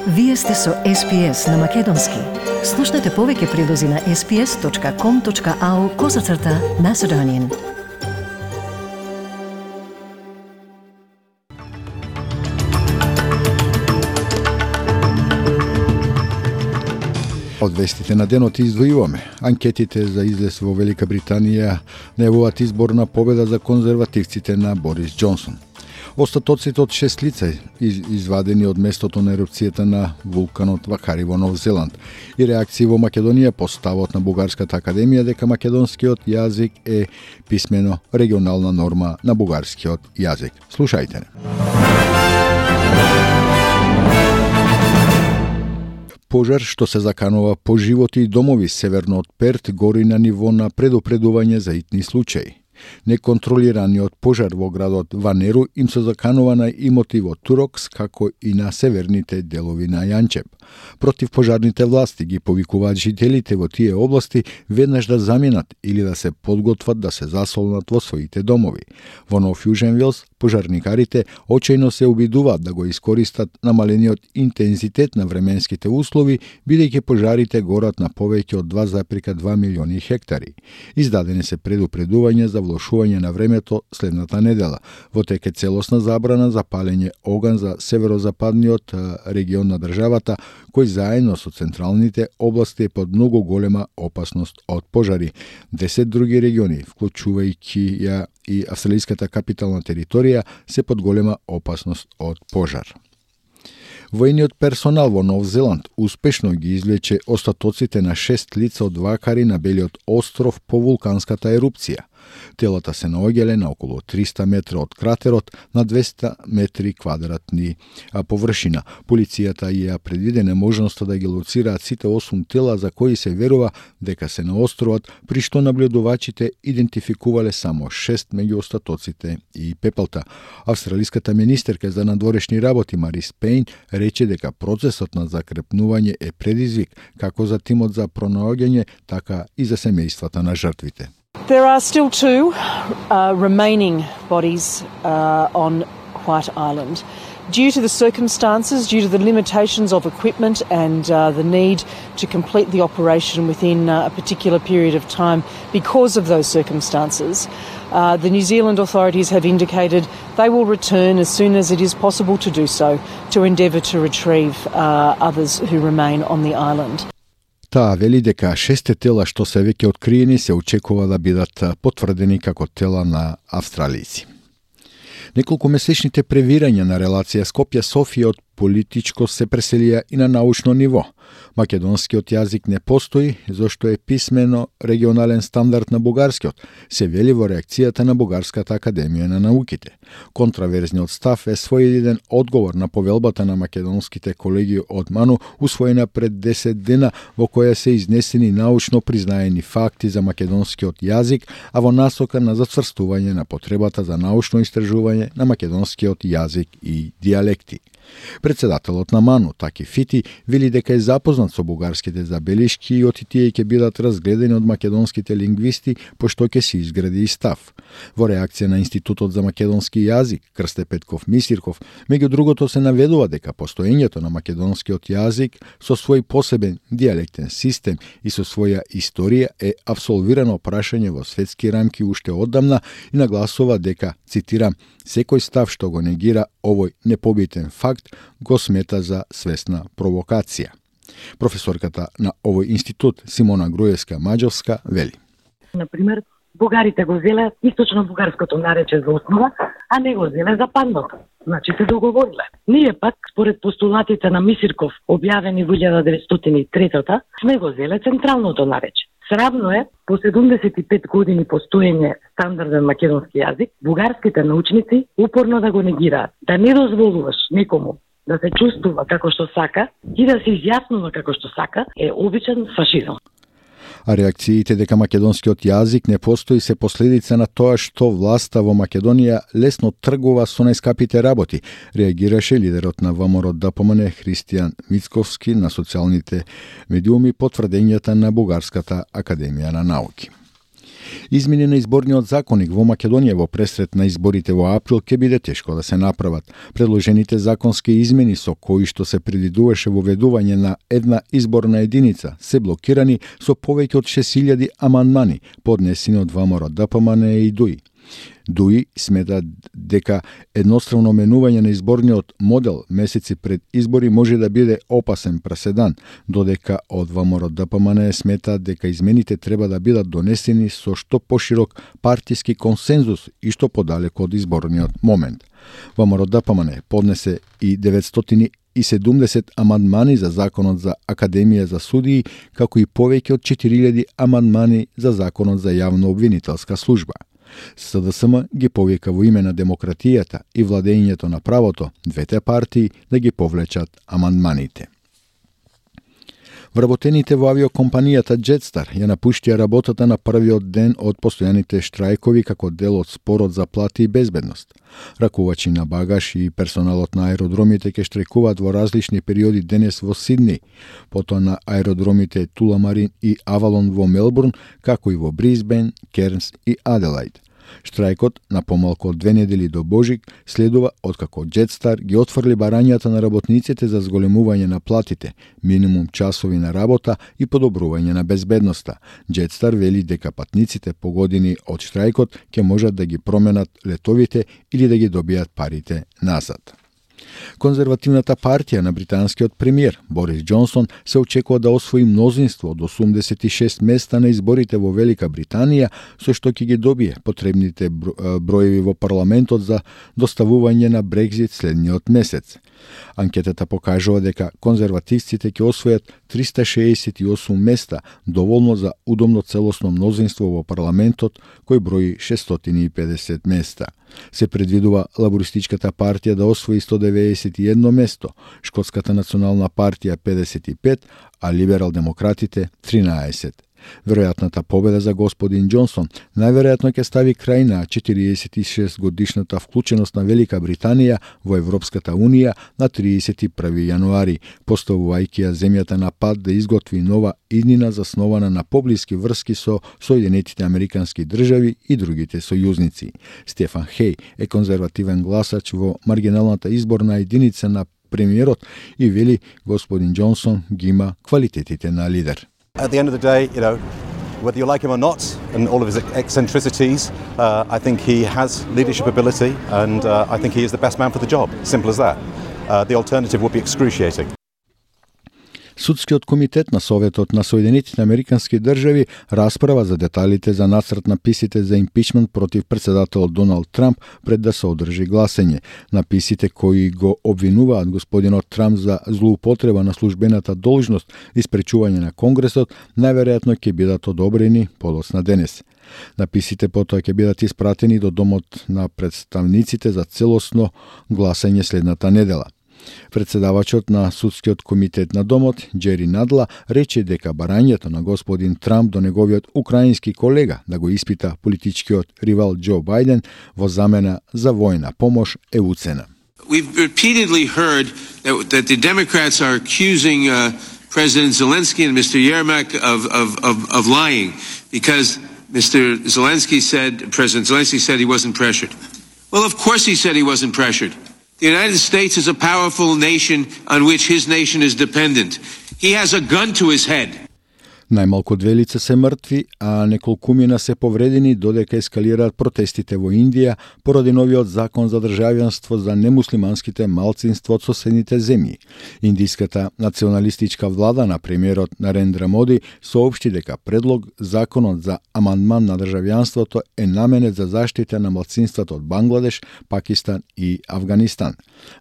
Вие сте со SPS на Македонски. Слушнете повеќе прилози на sps.com.au/Macedonian. Од вестите на денот издвојуваме. Анкетите за излез во Велика Британија најавуваат изборна победа за конзервативците на Борис Џонсон. Остатоците од 6 лица извадени од местото на ерупцијата на вулканот Вакари во Нов Зеланд и реакции во Македонија по ставот на Бугарската академија дека македонскиот јазик е писмено регионална норма на бугарскиот јазик. Слушајте. Пожар што се заканува по животи и домови северно од Перт гори на ниво на предупредување за итни случаи. Неконтролираниот пожар во градот Ванеру им се заканува на имоти во Турокс, како и на северните делови на Јанчеп. Против пожарните власти ги повикуваат жителите во тие области веднаш да заменат или да се подготват да се засолнат во своите домови. Во Нов Јужен Велс, пожарникарите очајно се обидуваат да го искористат намалениот интензитет на временските услови, бидејќи пожарите горат на повеќе од 2,2 милиони хектари. Издадени се предупредување за влошување на времето следната недела. Во тек е целосна забрана за палење оган за северозападниот регион на државата, кој заедно со централните области е под многу голема опасност од пожари. 10 други региони, вклучувајќи ја и австралиската капитална територија, се под голема опасност од пожар. Војниот персонал во Нов Зеланд успешно ги извлече остатоците на 6 лица од Вакари на Белиот остров по вулканската ерупција. Телата се наоѓале на околу 300 метра од кратерот на 200 метри квадратни површина. Полицијата ја предвиде неможноста да ги лоцираат сите 8 тела за кои се верува дека се на островот, при што наблюдувачите идентификувале само 6 меѓу остатоците и пепелта. Австралиската министерка за надворешни работи Марис Пейн рече дека процесот на закрепнување е предизвик како за тимот за пронаоѓање, така и за семејствата на жртвите. There are still two remaining bodies on White Island. Due to the circumstances, due to the limitations of equipment and the need to complete the operation within a particular period of time because of those circumstances, the New Zealand authorities have indicated they will return as soon as it is possible to do so to endeavour to retrieve others who remain on the island. Таа вели дека 6 тела што се веќе откриени се очекува да бидат потврдени како тела на австралици. Неколку месечните превирања на релација Скопје-Софија од политичко се преселија и на научно ниво. Македонскиот јазик не постои, зашто е писмено регионален стандард на бугарскиот, се вели во реакцијата на Бугарската академија на науките. Контраверзниот став е своједен одговор на повелбата на македонските колеги од МАНУ, усвоена пред 10 дена, во која се изнесени научно признаени факти за македонскиот јазик, а во насока на зацврстување на потребата за научно истражување на македонскиот јазик и дијалекти. Председателот на МАНУ, Таки Фити, вели дека е запознат со бугарските забелишки и оти тие ќе бидат разгледани од македонските лингвисти, пошто ќе се изгради и став. Во реакција на Институтот за македонски јазик, Крсте Петков Мисирков, меѓу другото се наведува дека постоењето на македонскиот јазик со свој посебен дијалектен систем и со своја историја е апсолвирано прашање во светски рамки уште оддамна и нагласува дека, цитирам, секој став што го негира овој непобитен факт го смета за свесна провокација. Професорката на овој институт Симона Груевска-Маџовска вели. Например, бугарите го зеле источно бугарското нарече за основа, а не го зеле западното. Значи се договориле. Ние пак, според постулатите на Мисирков, објавени во 1903, сме го зеле централното нарече. Срамно е, по 75 години постоење стандарден македонски јазик, бугарските научници упорно да го негираат. Да не дозволуваш некому да се чувствува како што сака и да се изјаснува како што сака е обичен фашизам. А реакциите дека македонскиот јазик не постои се последица на тоа што власта во Македонија лесно тргува со најскапите работи, реагираше лидерот на ВМРО ДПМН Христијан Мицковски на социјалните медиуми по тврдењата на Бугарската академија на науки. Измени на изборниот законник во Македонија во пресрет на изборите во април ќе биде тешко да се направат. Предложените законски измени со кои што се предвидуваше воведување на една изборна единица се блокирани со повеќе од 6000 амандмани поднесени од ВМРО ДПМН и ДУИ. ДУИ смета дека едностранно менување на изборниот модел месеци пред избори може да биде опасен преседан, додека од ВМРО ДПМН смета дека измените треба да бидат донесени со што поширок партиски консензус и што подалеку од изборниот момент. ВМРО ДПМН поднесе и 970 амандмани за законот за Академија за судии, како и повеќе од 4000 амандмани за законот за јавно обвинителска служба. СДСМ ги повика во име на демократијата и владењето на правото двете партии да ги повлечат амандманите. Вработените во авиокомпанијата Jetstar ја напуштија работата на првиот ден од постојаните штрајкови како дел од спорот за плати и безбедност. Ракувачи на багаж и персоналот на аеродромите ќе штрајкуваат во различни периоди денес во Сидни, потоа на аеродромите Туламарин и Авалон во Мелбурн, како и во Брисбен, Кернс и Аделаид. Штрајкот на помалку од 2 недели до Божик следува откако Jetstar ги отфрли барањата на работниците за зголемување на платите, минимум часови на работа и подобрување на безбедноста. Jetstar вели дека патниците погодени од штрајкот ќе можат да ги променат летовите или да ги добијат парите назад. Конзервативната партија на британскиот премиер Борис Џонсон се очекува да освои мнозинство од 86 места на изборите во Велика Британија, со што ќе ги добие потребните броеви во парламентот за доставување на Брекзит следниот месец. Анкетата покажува дека конзервативците ќе освојат 368 места, доволно за удобно целосно мнозинство во парламентот, кој брои 650 места. Се предвидува лабористичката партија да освои 191 место, Шкотската национална партија 55, а либерал-демократите 13. Веројатната победа за господин Џонсон најверојатно ќе стави крај на 46 годишната вклученост на Велика Британија во Европската Унија на 31 јануари, поставувајќи ја земјата на пат да изготви нова иднина заснована на поблиски врски со Соединетите Американски држави и другите сојузници. Стефан Хеј е конзервативен гласач во маргиналната изборна единица на премиерот и вели господин Џонсон ги има квалитетите на лидер. At the end of the day, whether you like him or not, and all of his eccentricities, I think he has leadership ability, and I think he is the best man for the job. Simple as that. The alternative would be excruciating. Судскиот комитет на Советот на Соединетите Американски држави расправа за деталите за нацрт на писите за импичмент против председателот Доналд Трамп пред да се одржи гласење. На писите кои го обвинуваат господинот Трамп за злоупотреба на службената должност и спречување на Конгресот, најверојатно ќе бидат одобрени подоцна денес. Написите потоа ќе бидат испратени до Домот на представниците за целосно гласење следната недела. Председавачот на Судскиот комитет на Домот, Џери Надла, рече дека барањето на господин Трамп до неговиот украински колега да го испита политичкиот ривал Џо Бајден во замена за војна помош е уцена. We've repeatedly heard that the Democrats are accusing President Zelensky and Mr. Yermak of lying because President Zelensky said he wasn't pressured. Well, of course he said he wasn't pressured. The United States is a powerful nation on which his nation is dependent. He has a gun to his head. Најмалку 2 лица се мртви, а неколкумина се повредени додека ескалираат протестите во Индија поради новиот закон за државјанство за немуслиманските малцинства од соседните земји. Индиската националистичка влада на премиерот Нарендра Моди соопшти дека предлог законот за амандман на државјанството е наменет за заштита на малцинствата од Бангладеш, Пакистан и Авганистан.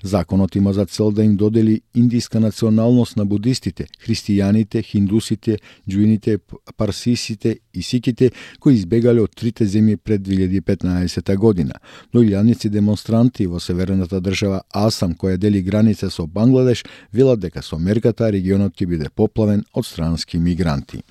Законот има за цел да им додели индиска националност на будистите, христијаните, хиндусите, джуините, парсисите и сиките кои избегале од трите земји пред 2015 година. Но илјадници демонстранти во северната држава Асам, која дели граница со Бангладеш, велат дека со мерката регионот ќе биде поплавен од странски мигранти.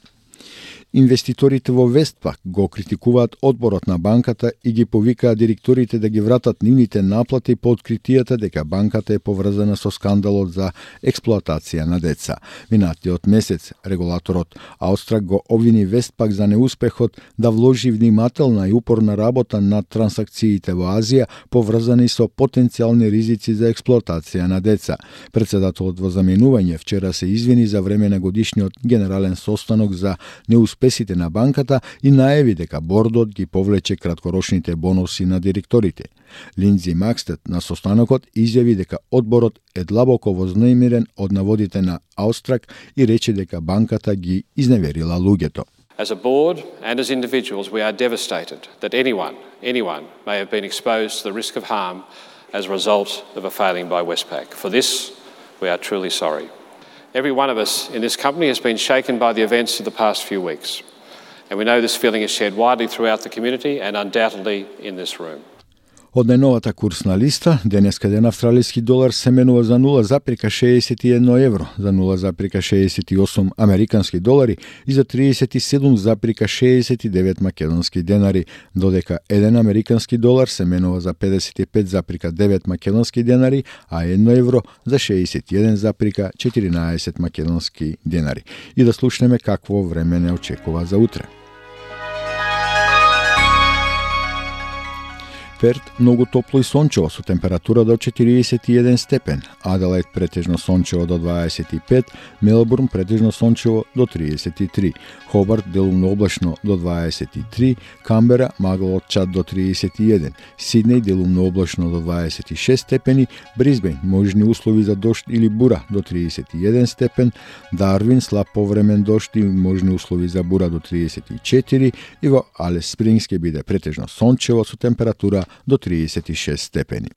Инвеститорите во Вестпак го критикуваат одборот на банката и ги повикаат директорите да ги вратат нивните наплати по откритијата дека банката е поврзана со скандалот за експлоатација на деца. Минатиот месец регулаторот Аустрак го обвини Вестпак за неуспехот да вложи внимателна и упорна работа на трансакциите во Азија поврзани со потенцијални ризици за експлоатација на деца. Председателот во заменување вчера се извини за време на годишниот генерален состанок за неуспесите на банката и најави дека бордот ги повлече краткорочните бонуси на директорите. Линдзи Макстед на состанокот изјави дека одборот е длабоко вознемирен од наводите на Аустрак и рече дека банката ги изневерила луѓето. As a board and as individuals, we are devastated that anyone may have been exposed to the risk of harm as a result of a failing by Westpac. For this, we are truly sorry. Every one of us in this company has been shaken by the events of the past few weeks, and we know this feeling is shared widely throughout the community and undoubtedly in this room. Од најновата курсна листа, денеска ден австралиски долар се менува за 0,61 евро, за 0,68 американски долари и за 37,69 македонски денари, додека 1 американски долар се менува за 55,9 македонски денари, а 1 евро за 61,14 македонски денари. И да слушнеме какво време не очекува за утре. Перт многу топло и сончево со температура до 41 степен, Аделаид претежно сончево до 25, Мелбурн претежно сончево до 33, Хобарт делумно облачно до 23, Камбера магло од чад до 31, Сиднеј делумно облачно до 26 степени, Брисбејн можни услови за дожд или бура до 31 степен, Дарвин слаб повремен дожд и можни услови за бура до 34 и во Алис Спрингс ќе биде претежно сончево со температура до 36 степени.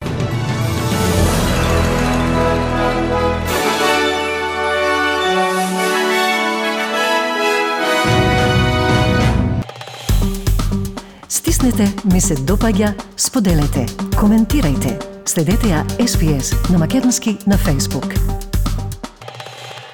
Стиснете, ми се допаѓа, споделете, коментирајте. Следете ја SPS на Македонски на Facebook.